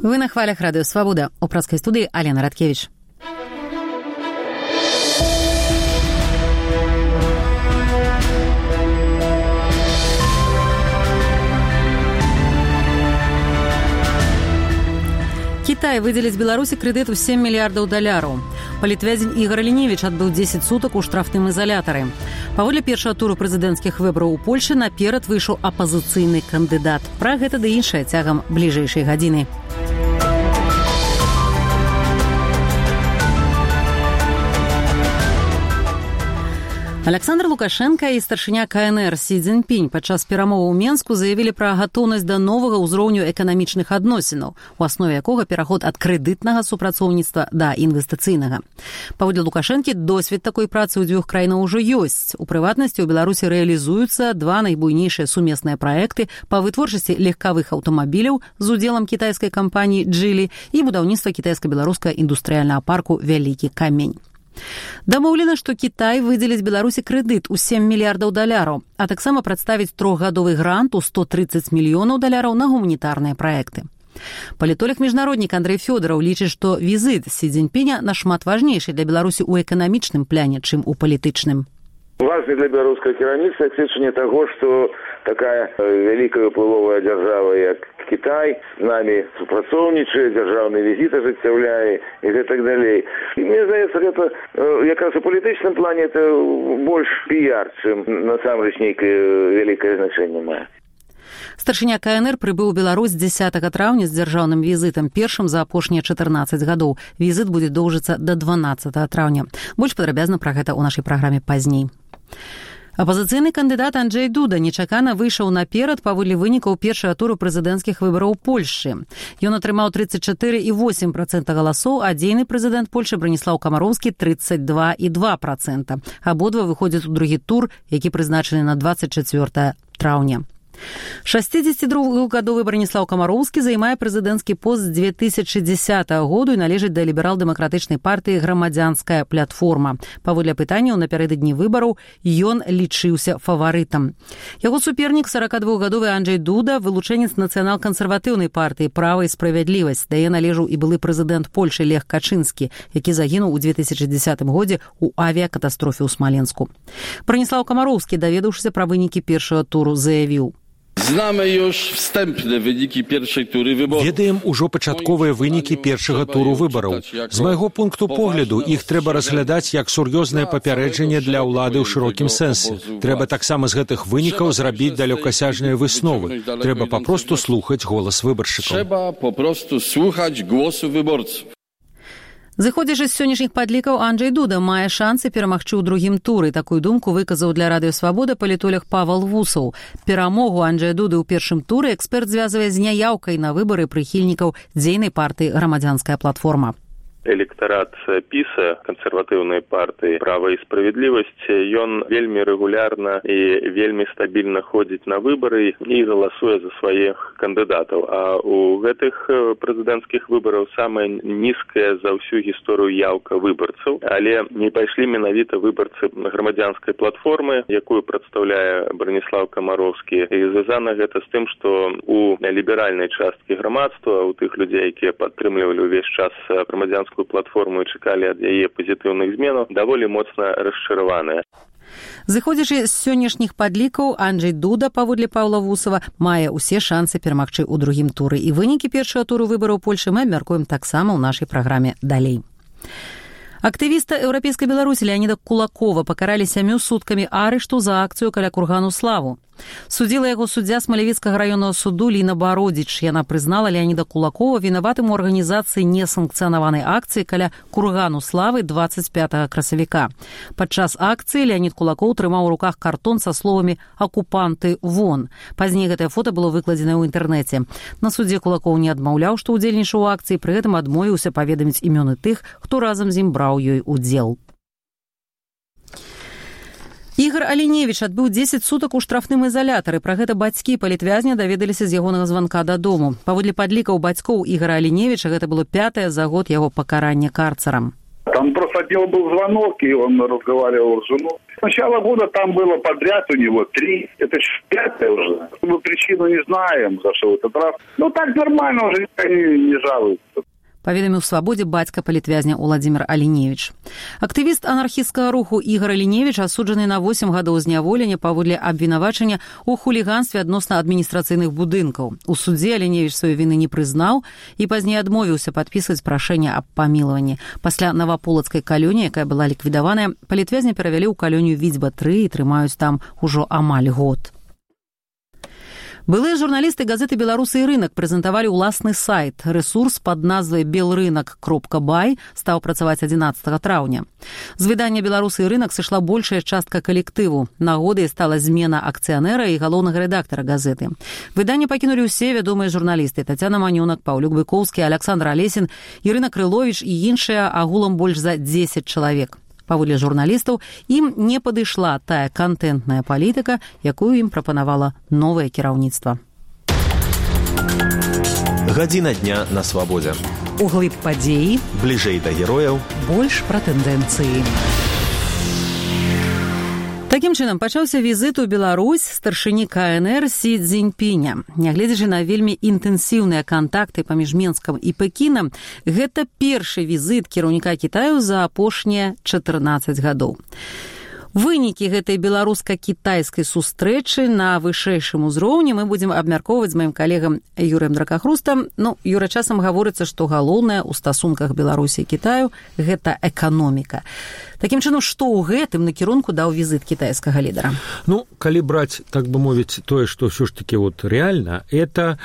Вы на хвалях Радио Свобода. У праскай студыі Алена Радкевич. Кітай выдзеліць Беларусі крэдыт у 7 мільярдаў даляраў. Палітвязень Ігор Аліневіч адбыў 10 сутак у штрафным ізалятары. Паводле першага туру прэзідэнцкіх выбараў у Польшы наперад выйшаў апазіцыйны кандыдат. Пра гэта ды іншае цягам бліжэйшай гадзіны. Александр Лукашенко і старшыня КНР Сі Цзіньпінь падчас перамоваў у Менску заявілі пра гатоўнасць да новага ўзроўню эканамічных адносінаў, у аснове якога пераход ад крэдытнага супрацоўніцтва да інвестыцыйнага. Паводле Лукашэнкі, досвед такой працы ў дзвюх краінаў ужо ёсць. У прыватнасці, у Беларусі рэалізуюцца два найбуйнейшыя сумесныя праекты па вытворчасці легкавых аўтамабіляў з удзелам кітайскай кампаніі «Джылі» і будаўніцтва кітайска-беларускага індустрыяльнага парку «Вялікі камень». Дамоўлена, што Кітай выдзеліць Беларусі крэдыт у 7 мільярдаў даляраў, а таксама прадставіць трохгадовы грант у 130 мільёнаў даляраў на гуманітарныя праекты. Палітолог-міжнароднік Андрэй Фёдораў лічыць, што візіт Сі Цзіньпіня нашмат важнейшы для Беларусі ў эканамічным пляне, чым у палітычным. Важны для беларускага кіраўніцтва сведчанне таго, што такая вялікая ўплывовая дзяржава, як Кітай, з намі супрацоўнічае, дзяржаўны візіт ажыццяўляе і гэтак далей. І мне здаецца, гэта якраз у палітычным плане это больш піяр, чым насамрэч нейкае вялікае значэнне мае. Старшыня КНР прыбыў у Беларусь 10 траўня з дзяржаўным візітам, першым за апошнія 14 гадоў. Візіт будзе доўжыцца да 12 траўня. Больш падрабязна пра гэта ў нашай праграме пазней. Апазіцыйны кандыдат Анджэй Дуда нечакана выйшаў наперад паводле вынікаў першага туру прэзідэнцкіх выбараў Польшы. Ён атрымаў 34,8% галасоў, а дзейны прэзідэнт Польшы Браніслаў Камароўскі 32,2%. Абодва выходзяць у другі тур, які прызначаны на 24 траўня. 62-гадовы Браніслаў Камароўскі займае прэзідэнцкі пост з 2010 году і належыць да ліберал-дэмакратычнай партыі «Грамадзянская платформа». Паводле пытанняў напярэдадні выбараў ён лічыўся фаварытам. Яго супернік, 42-гадовы Анджэй Дуда, вылучэнец нацыянал-кансерватыўнай партыі «Права і справядлівасць». Да яе належаў і былы прэзідэнт Польшы Лех Качынскі, які загінуў у 2010 годзе ў авіякатастрофе ў Смаленску. Браніслаў Камароўскі, даведаўшыся пра вынікі першага туру, заявіў: Знamy już wstępne wyniki pierwszej tury wyborów. Ведаем ужо пачатковыя вынікі першага туру выбараў. З майго пункту погляду, іх трэба разглядаць як сур'ёзнае папярэджанне для ўлады ў шырокім сэнсе. Трэба таксама з гэтых вынікаў зрабіць далёкасяжныя высновы. Трэба папросту слухаць голас выбаршчыкаў. Трэба папросту слухаць голасу выборцаў. Зыходзячы з сённяшніх падлікаў, Анджэй Дуда мае шансы перамагчы ў другім туры. Такую думку выказаў для Радыё Свабода палітолог Павал Вусаў. Перамогу Анджэя Дуды ў першым туры эксперт звязвае з няяўкай на выбары прыхільнікаў дзейнай партыі «Грамадзянская платформа». Электорат ПіСа, кансерватыўнай партыі «Права і справядлівасць», ён вельмі рэгулярна і вельмі стабільна ходзіць на выбары і галасуе за сваіх кандыдатаў. А у гэтых прэзідэнцкіх выбараў самая нізкая за ўсю гісторыю яўка выбарцаў, але не пайшлі менавіта выбарцы «Грамадзянскай платформы», якую прадстаўляе Браніслаў Камароўскі. І звязана гэта з тым, што у ліберальнай часткі грамадства, у тых людзей, якія падтрымлівалі ўвесь час грамадзянскую платформу і чакалі ад яе пазітыўных зменаў, даволі моцна расчараваныя. Зыходзячы з сённяшніх падлікаў, Анджэй Дуда, паводле Паўла Вусава, мае ўсе шансы перамагчы ў другім туры. І вынікі першага туру выбараў Польшы мы абмяркуем таксама ў нашай праграме далей. Актывіста Еўрапейскай Беларусі Леаніда Кулакова пакаралі 7 суткамі арышту за акцыю каля кургану Славу. Судзіла яго суддзя Смалявіцкага раённага суду Ліна Бародзіч. Яна прызнала Леаніда Кулакова вінаватым у арганізацыі несанкцыянаванай акцыі каля кургану Славы 25 красавіка. Падчас акцыі Леанід Кулакоў трымаў у руках картон са словамі «Акупанты вон». Пазней гэтае фота было выкладзенае ў інтэрнэце. На судзе Кулакоў не адмаўляў, што ўдзельнічаў у акцыі, пры гэтым адмовіўся паведаміць імёны тых, хто разам з ім браў ёй удзел. Ігор Аліневіч адбыў 10 сутак у штрафным ізалятары. Пра гэта бацькі палітвязня даведаліся з ягонага званка дадому. Паводле падлікаў бацькоў Ігора Аліневіча, гэта было 5-е за год яго пакарання карцерам. Там просто от него был звонок, и он разговаривал с женой. С начала года там было подряд у него 3, это 5 уже. Мы причину не знаем, за что в этот раз. Но так нормально, уже не жалуются. Паведаміў «Свабодзе» бацька палітвязня Уладзімір Аліневіч. Актывіст анархісцкага руху Ігор Аліневіч асуджаны на 8 гадоў зняволення паводле абвінавачання ў хуліганстве адносна адміністрацыйных будынкаў. У судзе Аліневіч сваёй віны не прызнаў і пазней адмовіўся падпісваць прашэнне аб памілаванні. Пасля Наваполацкай калоніі, якая была ліквідаваная, палітвязня перавялі ў калонію Відзьба-3 і трымаюць там ужо амаль год. Былыя журналісты газеты «Беларусы і рынак» прэзентавалі ўласны сайт. Рэсурс пад назвай belrynak.by стаў працаваць 11 траўня. З выдання «Беларусы і рынак» сышла большая частка калектыву. Нагодай стала змена акцыянера і галоўнага рэдактара газеты. Выданне пакінулі ўсе вядомыя журналісты: Тацяна Манёнак, Паўлюк Быкоўскі, Аляксандр Алесін, Ірына Крыловіч і іншыя, агулам больш за 10 чалавек. Паводле журналістаў, ім не падышла тая кантэнтная палітыка, якую ім прапанавала новае кіраўніцтва. Гадзіна дня на свабодзе. Углыб падзеі, бліжэй да герояў, больш пра тэндэнцыі. Такім чынам пачаўся візіт у Беларусь старшыні КНР Сі Цзіньпіня. Нягледзячы на вельмі інтэнсіўныя кантакты паміж Менскам і Пекінам, гэта першы візіт кіраўніка Кітаю за апошнія 14 гадоў. Вынікі гэтай беларуска-кітайскай сустрэчы на вышэйшым узроўні мы будзем абмяркоўваць з маім калегам Юрыем Дракахрустам. Юра, часам гаворыцца, што галоўнае ў стасунках Беларусі і Кітаю – гэта эканоміка. Такім чынам, што ў гэтым накірунку даў візіт кітайскага лідара? Калі браць, так бы мовіць, тое, што ўсё ж такі рэальна, это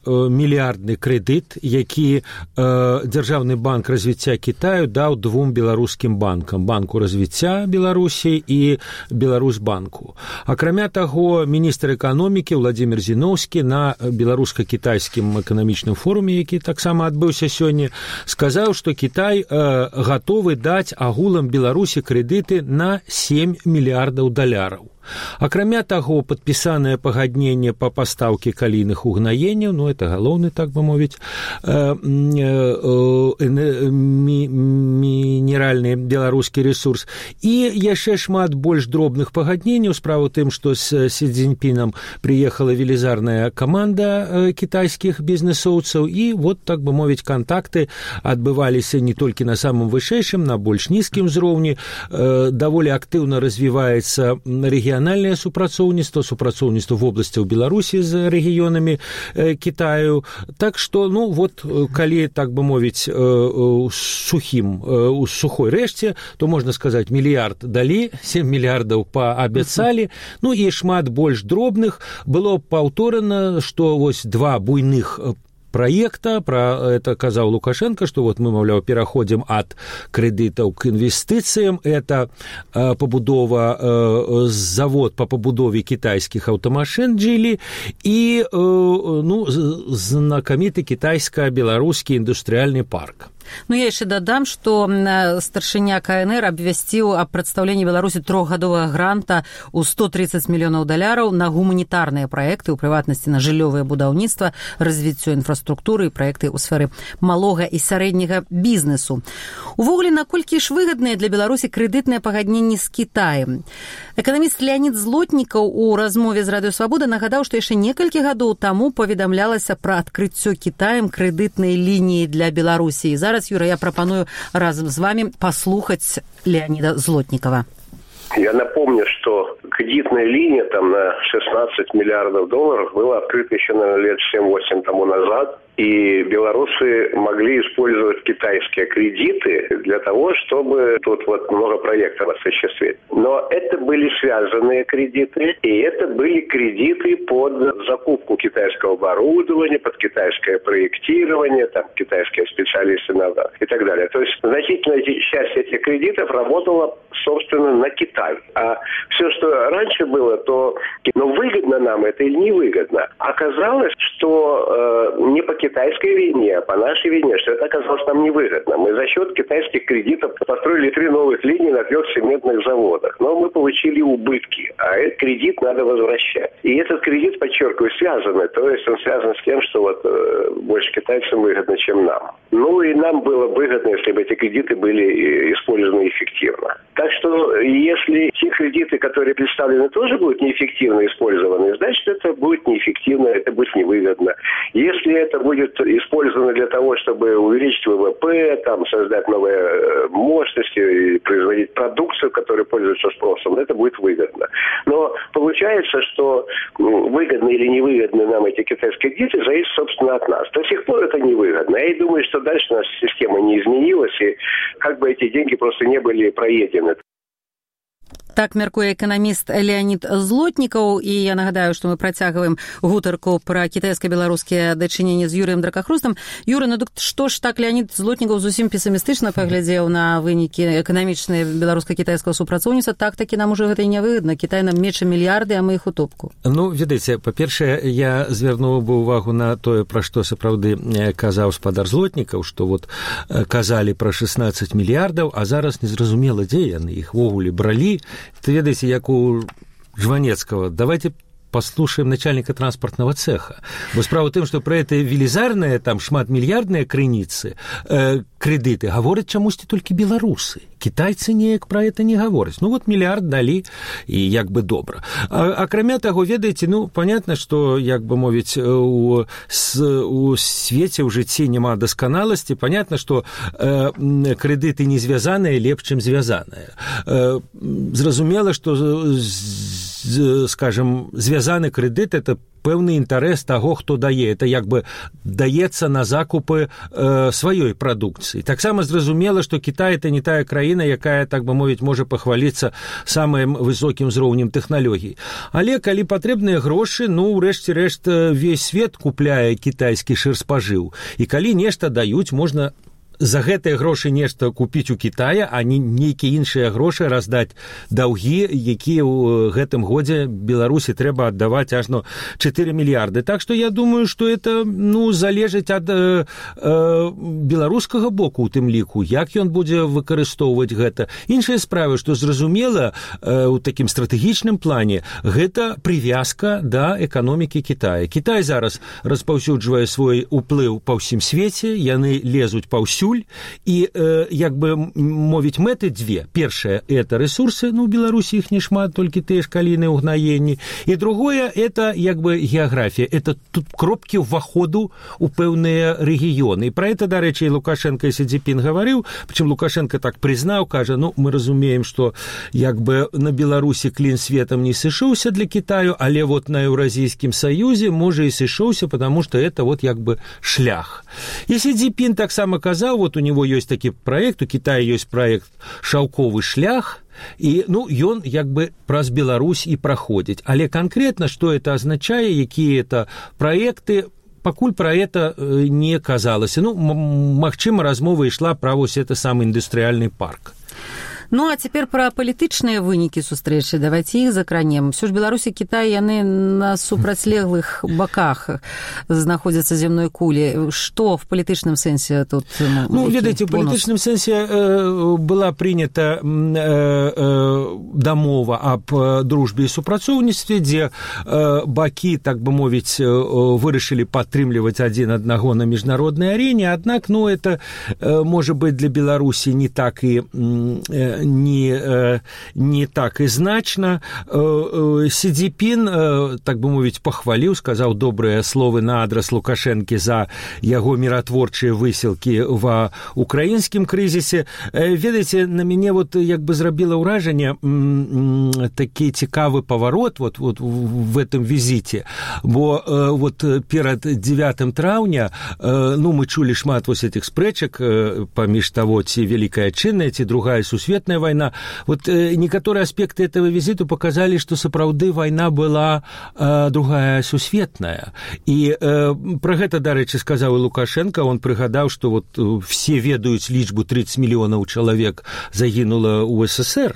мільярдны крэдыт, які Дзяржаўны банк развіцця Кітаю даў двум беларускім банкам: банку развіцця Беларусі і Беларусьбанку. Акрамя таго, міністр эканомікі Владзімір Зіноўскі на беларуска-кітайскім эканамічным форуме, які таксама адбыўся сёння, сказаў, што Кітай гатовы даць агулам Беларусі крэдыты на 7 мільярдаў даляраў. Акрамя таго, падпісанае пагадненне па пастаўкі калійных угнаенняў, это галоўны, так бы мовіць, мінеральны беларускі рэсурс. І яшчэ шмат больш дробных пагадненняў. Справа ў тым, што з Сі Цзіньпінам прыехала велізарная каманда кітайскіх бізнесоўцаў, і так бы мовіць, кантакты адбываліся не толькі на самым вышэйшым, на больш нізкім узроўні. Даволі актыўна развіваецца рэгіянальнае супрацоўніцтва в обласці ў Беларусі з рэгіёнамі Кітаю. Так што, калі, так бы мовіць, у сухой рэшце, то можна сказаць, мільярд далі, 7 мільярдаў паабяцалі, і шмат больш дробных. Было паўторана, што два буйных проекта, про это казаў Лукашенко, што мы, маўляў, пераходзім ад крэдытаў к інвестыцыям. Это пабудова, завод па пабудове кітайскіх аўтамашын Джілі і знакаміты кітайска-беларускі індустрыяльны парк. Я яшчэ дадам, што старшыня КНР абвясціў аб прадстаўленні Беларусі 3-гадовага гранта ў 130 мільёнаў даляраў на гуманітарныя праекты, у прыватнасці на жыллёвае будаўніцтва, развіццё інфраструктуры і праекты ў сферы малога і сярэдняга бізнесу. Увогуле, наколькі ж выгадныя для Беларусі крэдытныя пагадненні з Кітаем? Эканаміст Леонід Злотнікаў у размове з Радыё Свабода нагадаў, што яшчэ некалькі гадоў таму паведамлялася пра адкрыццё Кітаем крэдытнай лініі для Беларусі. І зараз, Юра, я прапаную разам з вами послухаць Леонида Злотникова. Я напомню, что кредитная линия на 16 миллиардов долларов была открыта еще, наверное, лет 7-8 тому назад. И белорусы могли использовать китайские кредиты для того, чтобы тут много проектов осуществить. Но это были связанные кредиты, и это были кредиты под закупку китайского оборудования, под китайское проектирование, китайские специалисты и так далее. То есть значительная часть этих кредитов работала, собственно, на Китай. А все, что раньше было, то выгодно нам это или невыгодно. Оказалось, что не по китайской вине, а по нашей вине, что это оказалось нам невыгодно. Мы за счет китайских кредитов построили 3 новых линии на 3 цементных заводах. Но мы получили убытки, а этот кредит надо возвращать. И этот кредит, подчеркиваю, связанный. То есть он связан с тем, что вот больше китайцам выгодно, чем нам. Ну и нам было выгодно, если бы эти кредиты были использованы эффективно. Так что если те кредиты, которые представлены, тоже будут неэффективно использованы, значит, это будет неэффективно, это будет невыгодно. Если это будет использовано для того, чтобы увеличить ВВП, там, создать новые мощности, производить продукцию, которая пользуется спросом, это будет выгодно. Но получается, что выгодны или невыгодны нам эти китайские кредиты, зависит, собственно, от нас. До сих пор это невыгодно. Я думаю, что дальше наша система не изменилась, и как бы эти деньги просто не были проедены. Так мяркуе эканаміст Леонид Злотнікаў, і я нагадаю, што мы працягваем гутарку пра кітайска-беларускія дачыненні з Юрыем Дракахрустам. Юрый, ну што ж так Леонид Злотнікаў зусім песімістычна паглядзеў на вынікі эканамічныя беларуска-кітайскага супрацоўніцтва, так-такі нам ужо гэта і не выгадна. Кітай нам меча мільярды, а мы іх у топку. Ну, ведаеце, па-першае, я звярнуў бы ўвагу на тое, пра што сапраўды казаў спадар Злотнікаў, што вот казалі пра 16 мільярдаў, а зараз незразумела, дзе яны іх ввогуле бралі. Ты ведаете, як у Жванецкого. Давайте послушаем начальника транспортного цеха. Бо справа в тым, што пра гэта велізарныя, там, шматмільярдныя крыніцы, крэдыты гавораць чамусьці толькі беларусы. Кітайцы неяк пра гэта не гавораць. Ну, вот мільярд далі, і як бы добра. Акрамя таго, ведаеце, ну, понятно, што, як бы мовіць, у свеце, у жыцці няма дасканаласці. Понятно, што крэдыты не звязаныя, лепш, чым звязаныя. Зразумела, што скажем, звязаны крэдыт – это пэўны інтарэс таго, хто дае. Это як бы даецца на закупы сваёй прадукцыі. Таксама зразумела, што Кітай – это не тая краіна, якая, так бы мовіць, можа пахваліцца самым высокім узроўнем тэхналогій. Але калі патрэбныя грошы, ну, ўрэшце-рэшт, весь свет купляе кітайскі шырспажыў. І калі нешта даюць, можна за гэтыя грошы нешта купіць у Кітая, а не нейкія іншыя грошы раздаць даўгі, якія ў гэтым годзе Беларусі трэба аддаваць ажно 4 мільярды. Так што я думаю, што это, ну, залежыць ад беларускага боку ў тым ліку, як ён будзе выкарыстоўваць гэта. Іншая справа, што зразумела ў такім стратэгічным плане, гэта прывязка да эканомікі Кітая. Кітай зараз распаўсюджвае свой уплыў па ўсім свеце, яны лезуць паўсюль, і, як бы мовіць, мэты дзве. Першае – это ресурсы, ну, у Беларусі іх не шмат, толькі тыя ж каліны ўгнаенні. І другое – это, як бы, геаграфія. Это тут кропкі ўваходу ў пэўныя рэгіёны. І пра гэта, дарэчы, і Лукашенко, і Сі Цзіньпін гаварыў, прычым Лукашенко так прызнаў, кажа, ну, мы разумеем, што, як бы, на Беларусі клін светам не сышоўся для Китаю, але вот на Еўразійскім саюзе, можа, і сышоўся, потому что это вот, як бы, шлях. І Сі Цзіньпін таксама казаў, вот у него есть такі проект, у Китая есть проект «Шаўковы шлях», і, ну, ён, як бы, праз Беларусь і праходзіць. Але канкрэтна, што это азначае, якія это праекты, пакуль пра это не казалася. Ну, магчыма, размова ішла пра вось это самы індустрыяльны парк. Ну, а цяпер пра палітычныя вынікі сустрэчы. Давайце іх закранем. Усё ж Беларусь і Кітай, яны на супрацьлеглых баках знаходзяцца зямной кулі. Што в палітычным сэнсе тут? Ну, ведаеце, в палітычным сэнсе была прынята дамова аб дружбе і супрацоўніцтве, дзе бакі, так бы мовіць, вырашылі падтрымліваць адзін аднаго на міжнароднай арэне. Аднак, ну, это можа быць для Беларусі не так і не так і значна. Сі Цзіньпін, так бы мовіць, пахваліў, сказаў добрыя словы на адрас Лукашэнкі за яго міратворчыя высілкі ва украінскім крызісе. Ведаеце, на мяне вот як бы зрабіла ўражанне такі цікавы паварот вот в этом візіце, бо вот перад 9 траўня, ну, мы чулі шмат вось этих спрэчак паміж таго, ці Великая Отчынная, ці другая сусветная война. Вот некоторые аспекты этого визиту показали, что сапраўды война была другая сусветная. И про гэта, дарэчы, сказаў і Лукашенко. Он прыгадаў, что вот все ведаюць лічбу 30 миллионов чалавек загінула ў СССР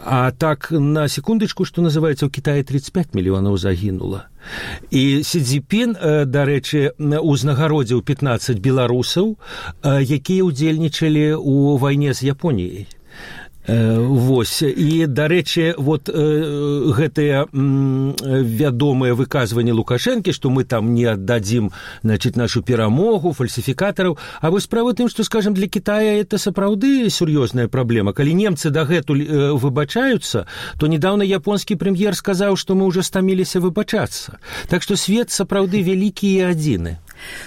А так, на секундочку, что называется, у Китая 35 миллионов загинуло. И Си Цзіньпін, дарэчы, узнагародзіў 15 беларусаў, якія ўдзельнічалі ў вайне з Японіяй. Вось. І, дарэчы, вот гэтыя вядомыя выказванні Лукашэнкі, што мы там не аддадзім, значит, нашу перамогу, фальсіфікатараў. А вось справа тым, што, скажем, для Китая это сапраўды сур'ёзная праблема. Калі немцы дагэтуль выбачаюцца, то недавно японскі прэм'ер сказаў, што мы ўжо стаміліся выбачацца. Так што свет сапраўды вялікі і адзіны.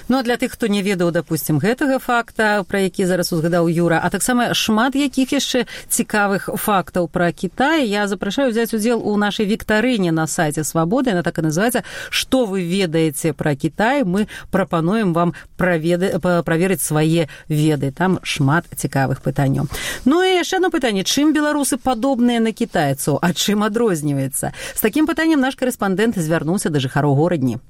Ну, а для тых, хто не ведаў, дапусцім, гэтага факта, пра які зараз узгадаў Юра, а таксама шмат якіх яшчэ цікавых фактаў пра Кітай, я запрашаю взяць удзел у нашай віктарыне на сайце Свабоды, яна так і называецца «Што вы ведаеце пра Кітай?». Мы прапануем вам праверыць свае веды. Там шмат цікавых пытанняў. Ну і яшчэ одно пытанне. Чым беларусы падобныя на кітайцаў, а чым адрозніваецца? З такім пытаннем наш карэспандэнт звярнуўся да жыхароў горадні.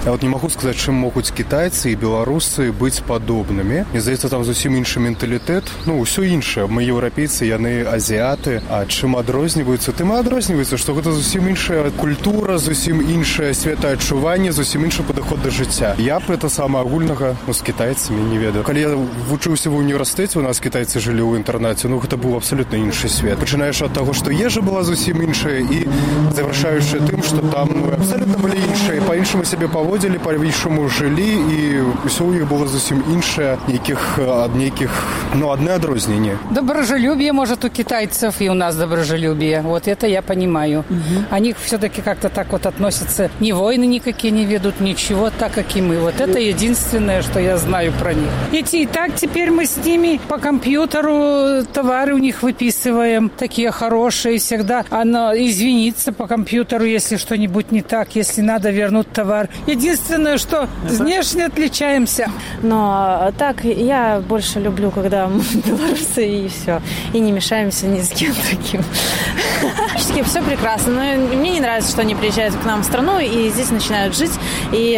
Я вот не могу сказать, чем могут китайцы и белорусы быть подобными. Мне здаецца, там зусім іншы менталітэт. Ну, ўсё іншае. Мы еўрапейцы, яны азіяты. А чым адрозніваюцца? Тым і адрозніваюцца, што гэта зусім іншая культура, зусім іншае светаадчуванне, зусім іншы падыход да жыцця. Я б это самае агульнага, з кітайцамі не ведаю. Калі я вучыўся ва універсітэце, у нас кітайцы жылі ў інтэрнаце, гэта быў абсалютна іншы свет. Пачынаеш ад таго, што ежа была зусім іншая, і завяршаючы тым, што там абсалютна былі іншыя, па-іншаму сябе паводзілі, па-іншаму жылі, і ўсё ў іх было зусім іншае, адны адрозненні. Доброжелюбие, может, у китайцев, и у нас доброжелюбие. Вот это я понимаю. Они все-таки как-то так вот относятся, ни войны никакие не ведут, ничего, так, как и мы. Вот это единственное, что я знаю про них. И так теперь мы с ними по компьютеру товары у них выписываем, такие хорошие всегда. Она извинится по компьютеру, если что-нибудь не так, если надо вернуть товар. Единственное, что внешне отличаемся. Но так я больше люблю, когда мы белорусы и все. И не мешаемся ни с кем таким. Все прекрасно. Но мне не нравится, что они приезжают к нам в страну и здесь начинают жить и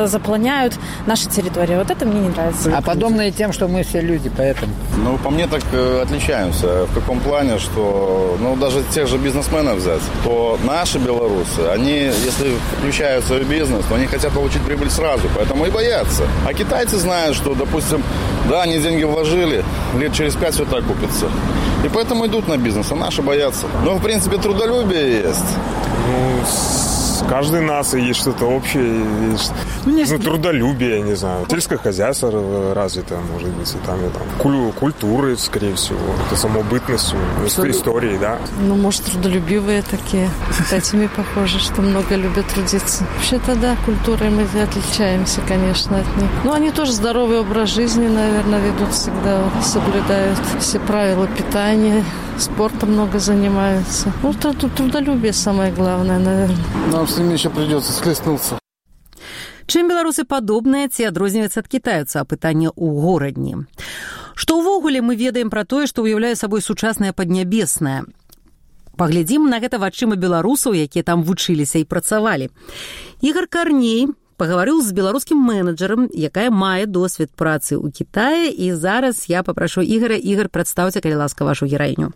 заполоняют наши территории. Вот это мне не нравится. А подобное тем, что мы все люди, поэтому... Ну, по мне так отличаемся. В каком плане, что... Ну, даже тех же бизнесменов взять, то наши белорусы, они, если включают свой бизнес, то они хотят получить прибыль сразу, поэтому и боятся. А китайцы знают, что, допустим, да, они деньги вложили, лет через 5 все так купится. И поэтому идут на бизнес, а наши боятся. Но, в принципе, трудолюбие есть. Ну, с каждой нацией есть что-то общее. Есть, трудолюбие, не знаю. Сельское хозяйство развито, может быть, и там культуры, скорее всего. Это самобытностью, историей, да. Ну, может, трудолюбивые такие. С этими похоже, что много любят трудиться. Вообще-то, да, культурой мы отличаемся, конечно, от них. Но они тоже здоровый образ жизни, наверное, ведут всегда, соблюдают все правила питания, спортом много занимаются. Ну, трудолюбие самое главное, наверное. Нам с ними еще придется схлестнуться. Чым беларусы падобныя ці адрозніваюцца ад кітайцаў, а пытанне ў горадні. Што ўвогуле мы ведаем пра тое, што ўяўляе сабой сучаснае паднябеснае? Паглядзім на гэта вачыма беларусаў, якія там вучыліся і працавалі. Ігар Карней пагаварыў з беларускім менеджерам, якая мае досвед працы ў Кітаі, і зараз я папрашу Ігара. Ігар, прадстаўце, калі ласка, вашу гераіню.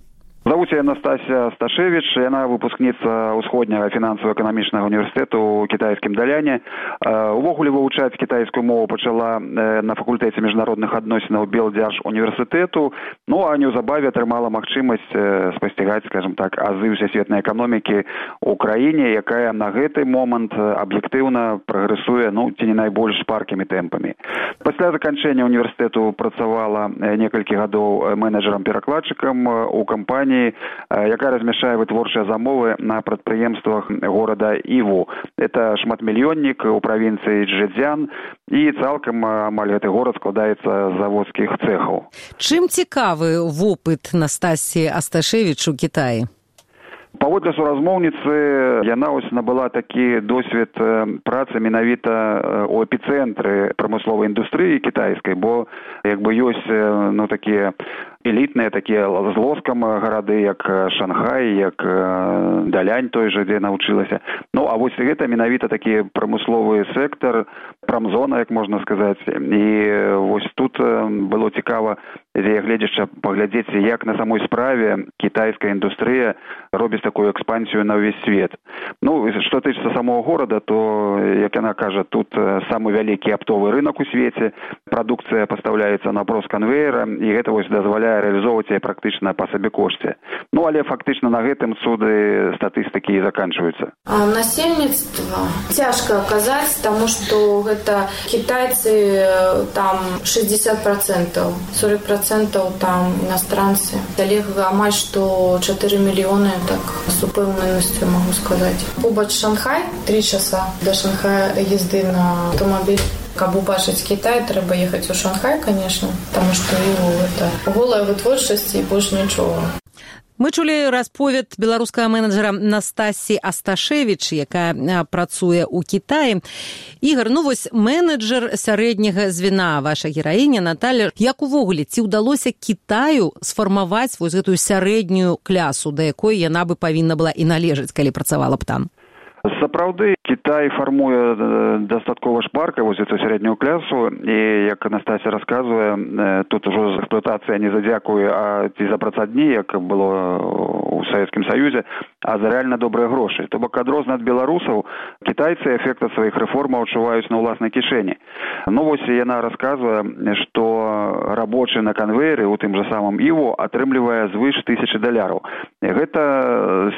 Зовут я Анастасия Сташевич, яна выпускница Усходняга фінансава-эканамічнага універсітэту ў кітайскім Даляне. Увогуле вывучаць кітайскую мову пачала на факультэце міжнародных адносінаў Белдзяржуніверсітэту, ну а неўзабаве атрымала магчымасць спасцігаць, скажем так, азы ўсесветнай эканомікі ў краіне, якая на гэты момант аб'ектыўна прагрэсуе, ну, ці не найбольш шпаркімі тэмпамі. Пасля заканчэння універсітэту працавала некалькі гадоў менеджерам-перакладчыкам у кампаніі, якая размяшчае вытворчыя замовы на прадпрыемствах горада Іву. Это шматмільённік у правінцыі Чжэцзян, і цалкам амаль гэты горад складаецца з заводскіх цэхаў. Чым цікавы вопыт Настасіі Асташевіч у Кітаі? Паводле суразмоўніцы, яна набыла такі досвед працы менавіта ў эпіцэнтры прамысловай індустрыі кітайскай, бо ёсць такія элітныя такія з лоскам гарады, як Шанхай, як Далянь той же, дзе навучылася. Ну, а вось гэта менавіта такі прамысловы сектар, прамзона, як можна сказаць. І вось тут было цікава, гледзячы паглядзець, як на самой справе кітайская індустрыя робіць такую экспансію на ўвесь свет. Ну, што тычыцца самого горада, то, як яна кажа, тут самы вялікі аптовы рынок у свеце, прадукцыя пастаўляецца на брос-канвеера, і гэта вось дазваляе рэалізоўваць яе практычна па сабекошце. Ну, але фактычна на гэтым цуды статыстыкі і заканчваюцца. Насельніцтва цяжка казаць, таму што гэта кітайцы там 60%, 40% там иностранцы. Але амаль што 4 мільёны, так, з упэўненасцю могу сказаць. Побач Шанхай, 3 часа до Шанхая езды на автомобиль. Каб убачыць Кітай, трэба ехаць у Шанхай, конечно, таму што это голая вытворчасць і больш нічога. Мы чулі расповед беларускага менеджера Настасі Асташевіч, якая працуе ў Кітаі. Ігор, ну вось менеджер сярэдняга звена, ваша гераіня Наталя. Як увогуле, ці ўдалося Кітаю сфармаваць вось гэтую сярэднюю клясу, да якой яна бы павінна была і належаць, калі працавала б там? Сапраўды, Кітай фармуе дастаткова шпарка вось эту сярэднюю клясу, і, як Анастасія расказвае, тут ужо эксплуатацыя не за дзякуй, а ці за працадні, як было у Савецкім Саюзе, а за рэальна добрыя грошы. То бок, адрозна ад беларусаў, кітайцы эфект ад сваіх рэформаў адчуваюць на ўласнай кішэні. Ну, вось яна расказвае, што рабочы на канвееры у тым жа самым ІВО атрымлівае звыш $1000. Гэта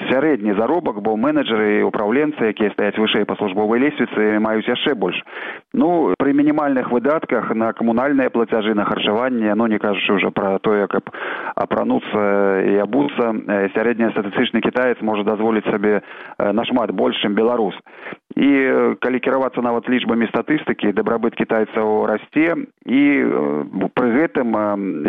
сярэдні заробак, бо менеджеры і ўпраўленцы, якія стаяць вышэй па службовай лесвіцы, маюць яшчэ больш. Ну, пры мінімальных выдатках на камунальныя плацяжы, на харчаванне, ну, не кажучы ўжо пра тое, каб апрануцца і абуцца, сярэднестатыстычны кітаец можа дазволіць сабе нашмат больш, чым беларус. І калі кіравацца нават лічбамі статыстыкі, дабрабыт кітайцаў расце, і пры гэтым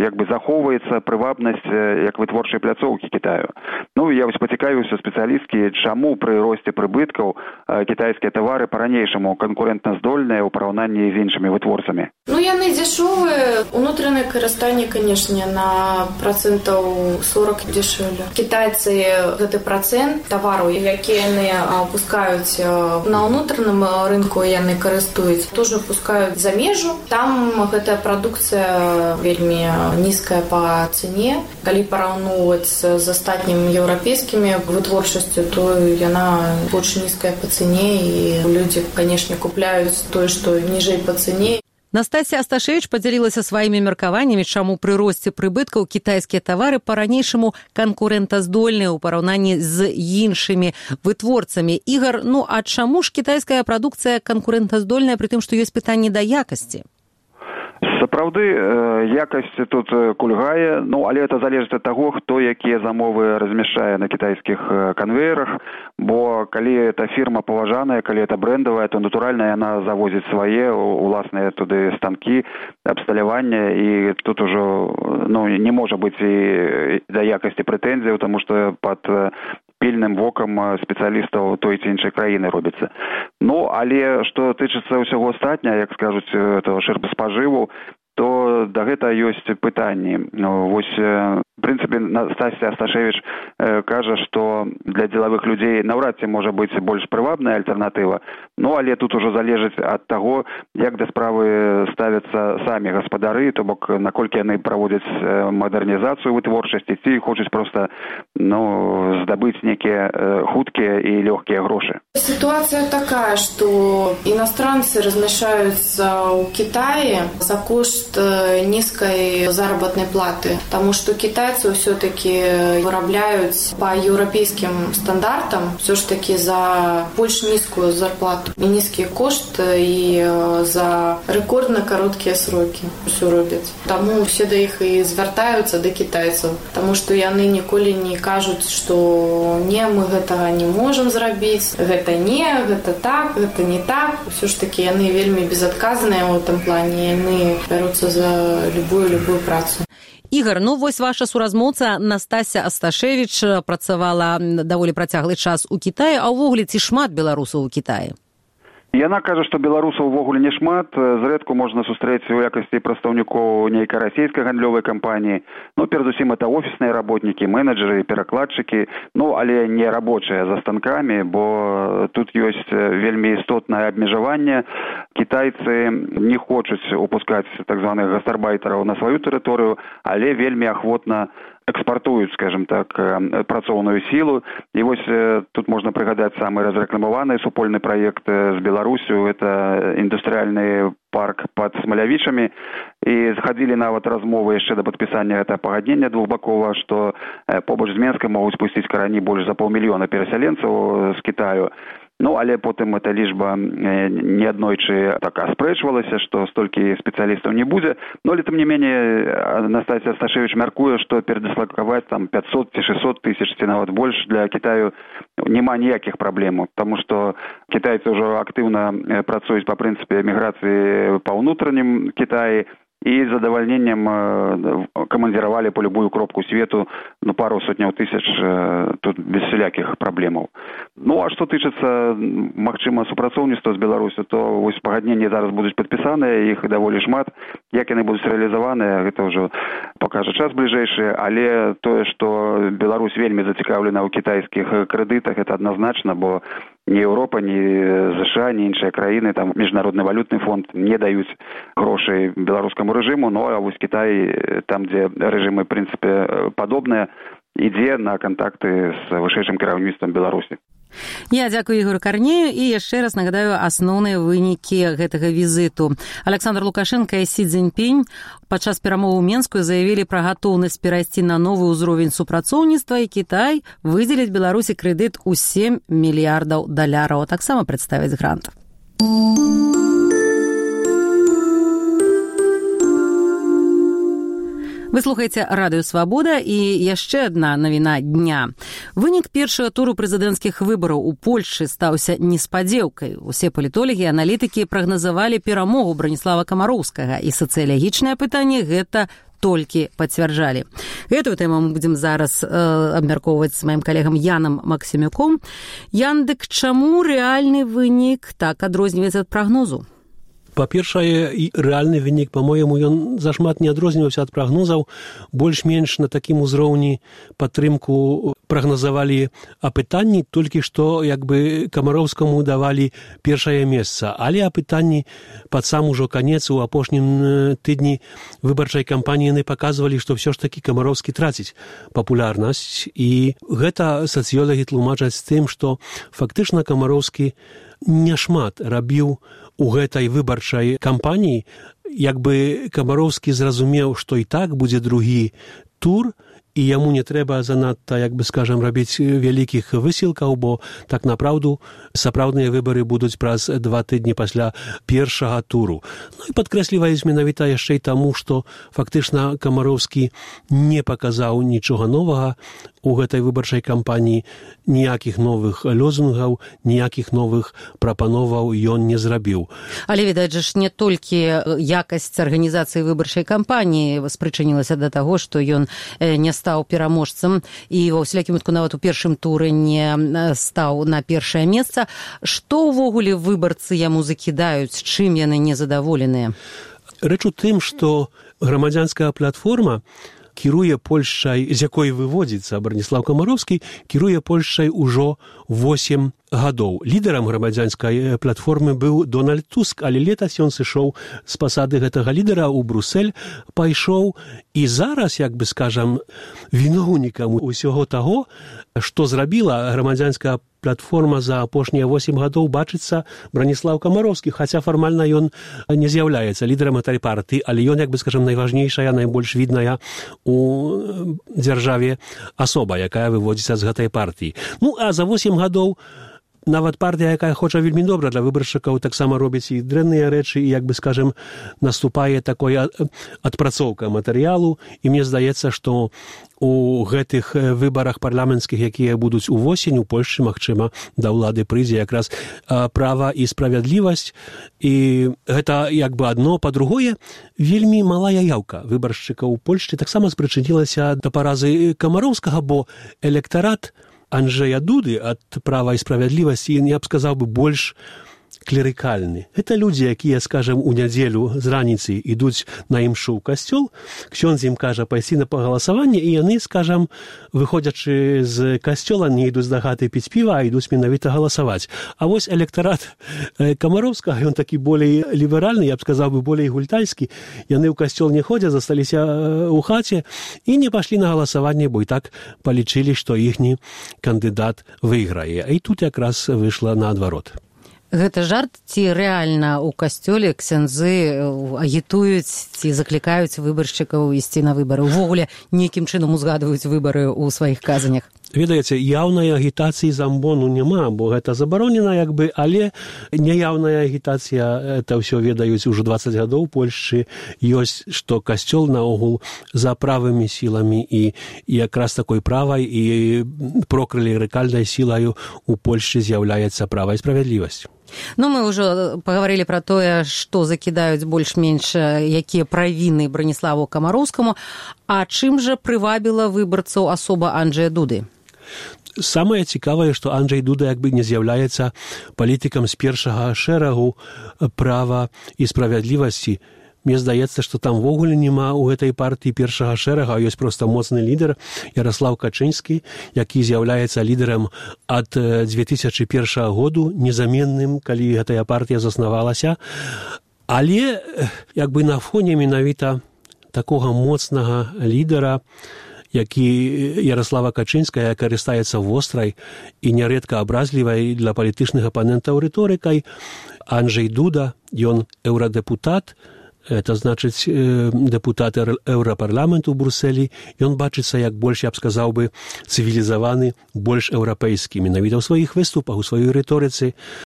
як бы захоўваецца прывабнасць як вытворчай пляцоўкі Кітаю. Ну, я вось пацікавіўся спецыялісткі, чаму пры росце прыбыткаў кітайскія тавары па-ранейшаму канкурэнтназдольныя ў параўнанні з іншымі вытворцамі. Ну, яны дзешовыя. Унутранае карыстанне, канешне, на 40% дзешэвле. Кітайцы гэты працэнт тавараў, які яны пускаюць на ўнутраным рынку, яны карыстуюць, тоже пускаюць за межу. Там гэтая прадукцыя вельмі нізкая па цэне. Калі параўноўваць з астатнімі еўрапейскімі вытворчасцю, то яна больш нізкая па цэне, і людзі, канешне, купляюць тое, што ніжэй па цэне. Настасія Асташевіч падзялілася сваімі меркаваннямі, чаму пры росце прыбыткаў кітайскія тавары па-ранейшаму канкурэнтаздольныя ў параўнанні з іншымі вытворцамі. Ігор, ну а чаму ж кітайская прадукцыя канкурэнтаздольная, пры тым, што ёсць пытанні да якасці? Сапраўды, якасць тут кульгае, ну, але это залежыць ад таго, хто якія замовы размяшчае на кітайскіх канвеерах, бо калі это фірма паважаная, калі это брэндавая, то натуральна яна завозіць свае уласныя туды станкі, абсталявання, і тут ужо, ну, не можа быць і да якасці прэтэнзіяў, таму што пад пільным вокам спецыялістаў той ці іншай краіны робіцца. Ну, але што тычыцца ўсяго астатняга, як скажуць, этого шырпаспажыву, то да гэта ёсць пытанні. Вось, в прынцыпе, Настасія Асташевіч кажа, што для дзелавых людзей наўрад ці можа быць больш прывабная альтэрнатыва, ну, але тут ужо залежыць ад таго, як да справы ставяцца самі гаспадары, то бок, наколькі яны праводзяць мадэрнізацыю вытворчасці, ці хочуць проста, ну, здабыць некія хуткія і лёгкія грошы. Ситуация такая, что иностранцы размещаются в Китае за кошт низкой заработной платы, потому что китайцы все-таки вырабляют по европейским стандартам все-таки за больш низкую зарплату и низкий кошт, и за рекордно короткие сроки все робят. Тому все до их и звертаются до китайцев, потому что яны ніколі не кажут, что не, мы гэтага не можем зрабіць, гэта не, гэта так, гэта не так. Все ж таки яны вельмі безадказныя ў гэтым плане, яны бяруцца за любую працу. Ігор, ну вось ваша суразмоўца Настасія Асташевіч працавала даволі працяглы час у Кітаі, а ўвогуле ці шмат беларусаў у Кітаі? Яна кажа, што беларусаў увогуле не шмат, зрэдку можна сустрэць у якасці прадстаўнікоў нейкай расійскай гандлёвай кампаніі. Ну, перадусім, это офісныя работнікі, менеджеры, перакладчыкі, ну, але не рабочыя за станкамі, бо тут ёсць вельмі істотнае абмежаванне. Кітайцы не хочуць упускаць так званых гастарбайтараў на сваю тэрыторыю, але вельмі ахвотна экспартуюць, скажем так, працоўную сілу. І вось тут можна прыгадаць самы разрэкламаваны супольны праект з Беларусю, это індустрыяльны парк пад Смалявічамі. І захадзілі нават размовы яшчэ да падпісання гэтага пагаднення двухбакова, што побач з Менскам могуць пусціць карані больш за 500 000 перасяленцаў з Кітаю. Ну, але потым эта лічба неаднойчы так аспрэчвалася, што столькі спецыялістаў не будзе. Но, але, тым не менее, Анастасія Сташевіч мяркуе, што перадыслакаваць там 500 ці 600 тысяч, ці нават больш для Кітаю няма ніякіх праблемаў, таму што кітайцы ўжо актыўна працуюць па прынцыпе міграцыі па ўнутранім Кітаі, і з задавальненнем камандзіравалі по любую кропку свету, ну, пару сотняў тысяч, тут без всялякіх праблемаў. Ну, а што тычыцца, магчыма, супрацоўніцтва з Беларусю, то вось пагадненні зараз будуць падпісаныя, іх даволі шмат. Як яны будуць рэалізаваныя, гэта ўжо пакажа час бліжэйшы, але тое, што Беларусь вельмі зацікаўлена ў кітайскіх крэдытах, гэта адназначна, бо ні Еўропа, ні США, ні іншыя краіны, там міжнародны валютны фонд не даюць грошай беларускаму рэжыму, но а вось Кітай, там, дзе рэжымы, в прынцыпе, падобныя, ідзе на кантакты з вышэйшым кіраўніцтвам Беларусі. Я дзякую Ігору Карнею і яшчэ раз нагадаю асноўныя вынікі гэтага візіту. Александр Лукашенко і Сі Цзіньпінь падчас перамовы ў Менску заявілі пра гатоўнасць перайсці на новы ўзровень супрацоўніцтва, і Кітай выдзеліць Беларусі крэдыт у $7 мільярдаў, а таксама прадставіць грант. Вы слухаеце Радыё Свабода, і яшчэ адна навіна дня. Вынік першага туру прэзідэнцкіх выбараў у Польшчы стаўся неспадзеўкай. Усе палітолагі і аналітыкі прагназавалі перамогу Браніслава Камароўскага, і сацыялагічнае пытанне гэта толькі пацвярджалі. Гэтую тэму мы будзем зараз абмяркоўваць з маім калегам Янам Максімюком. Ян, дык чаму рэальны вынік так адрозніваецца ад прагнозу? Па-першае, рэальны вынік, па-моему, ён зашмат не адрозніваўся ад прагнозаў. Больш-менш на такім узроўні падтрымку прагназавалі апытанні, толькі што як бы Камароўскаму давалі першае месца. Але апытанні пад сам ужо канец у апошнім тыдні выбарчай кампаніі яны паказвалі, што ўсё ж такі Камароўскі траціць папулярнасць. І гэта сацыёлагі тлумачаць з тым, што фактычна Камароўскі няшмат рабіў у гэтай выбарчай кампаніі, як бы Камароўскі зразумеў, што і так будзе другі тур, і яму не трэба занадта, як бы скажам, рабіць вялікіх высілкаў, бо так напраўду сапраўдныя выбары будуць праз 2 тыдні пасля першага туру. Ну і падкрэсліваюць менавіта яшчэ і таму, што фактычна Камароўскі не паказаў нічога новага у гэтай выбарчай кампаніі, ніякіх новых лозунгаў, ніякіх новых прапановаў ён не зрабіў. Але, відаць жа ж, не толькі якасць арганізацыі выбарчай кампаніі спрычынілася да таго, што ён не стаў пераможцам і ва ўсялякім выпадку нават у першым туры не стаў на першае месца. Што ўвогуле выбарцы яму закідаюць, чым яны незадаволеныя? Рэч у тым, што грамадзянская платформа кіруе Польшчай, з якой выводзіцца Браніслаў Камароўскі, кіруе Польшчай ужо 8 гадоў. Лідарам грамадзянскай платформы быў Дональд Туск, але летась ён сышоў з пасады гэтага лідара ў Брусэль, пайшоў, і зараз, як бы скажам, віноўнікам усяго таго, што зрабіла грамадзянская платформа за апошнія 8 гадоў, бачыцца Браніслаў Камароўскі, хаця фармальна ён не з'яўляецца лідарам гэтай партыі, але ён, як бы скажам, найважнейшая, найбольш відная у дзяржаве асоба, якая выводзіцца з гэтай партыі. Ну, а за 8 гадоў нават партыя, якая хоча вельмі добра для выбаршчыкаў, таксама робіць і дрэнныя рэчы, і, як бы скажем, наступае такая адпрацоўка матэрыялу, і мне здаецца, што у гэтых выбарах парламенцкіх, якія будуць увосень, у Польшчы, магчыма, да ўлады прыйдзе якраз права і справядлівасць, і гэта як бы адно. Па-другое, вельмі малая яўка выбаршчыкаў у Польшчы таксама спрычынілася да паразы Камароўскага, бо электарат Анджэя Дуды ад права і справядлівасці, я б сказаў бы, больш клерыкальны. Это людзі, якія, скажем, у нядзелю з раніцы ідуць на імшу ў касцёл, ксёндз ім кажа пайсці на пагаласаванне, і яны, скажам, выходзячы з касцёла, не ідуць да хаты піць піва, а ідуць менавіта галасаваць. А вось электарат Камароўскага, ён такі болей ліберальны, я б сказаў бы, болей гультайскі. Яны ў касцёл не ходзяць, засталіся ў хаце і не пашлі на галасаванне, бо і так палічылі, што іхні кандыдат выйграе. І тут якраз выйшла наадварот. Гэта жарт ці рэальна ў касцёле ксяндзы агітуюць ці заклікаюць выбаршчыкаў ісці на выбары? Увогуле нейкім чынам узгадваюць выбары ў сваіх казаннях? Ведаеце, яўнай агітацыі з амбону няма, бо гэта забаронена, як бы, але няяўная агітацыя, это ўсё ведаюць ужо 20 гадоў у Польшчы, ёсць, што касцёл наогул за правымі сіламі і якраз такой правай і проклерыкальнай сілаю у Польшчы з'яўляецца права і справядлівасць. Ну, мы ўжо пагаварылі пра тое, што закідаюць больш-менш якія правіны Браніславу Камароўскаму, а чым жа прывабіла выбарцаў асоба Анджэя Дуды? Самае цікавае, што Анджэй Дуда як бы не з'яўляецца палітыкам з першага шэрагу права і справядлівасці. Мне здаецца, што там вогуле няма ў гэтай партыі першага шэрага, а ёсць проста моцны лідар Яраслаў Качынскі, які з'яўляецца лідарам ад 2001 году, незаменным, калі гэтая партыя заснавалася. Але як бы на фоне менавіта такога моцнага лідара, які Яраслава Качынская карыстаецца вострай і нярэдка абразлівай для палітычных апанентаў рыторыкай, Анджэй Дуда, ён еўрадэпутат, это значыць дэпутат Еўрапарламенту ў Брусэлі, ён бачыцца як больш, я б сказаў бы, цывілізаваны, больш еўрапейскі, менавіта ў сваіх выступах, у сваёй рыторыцы.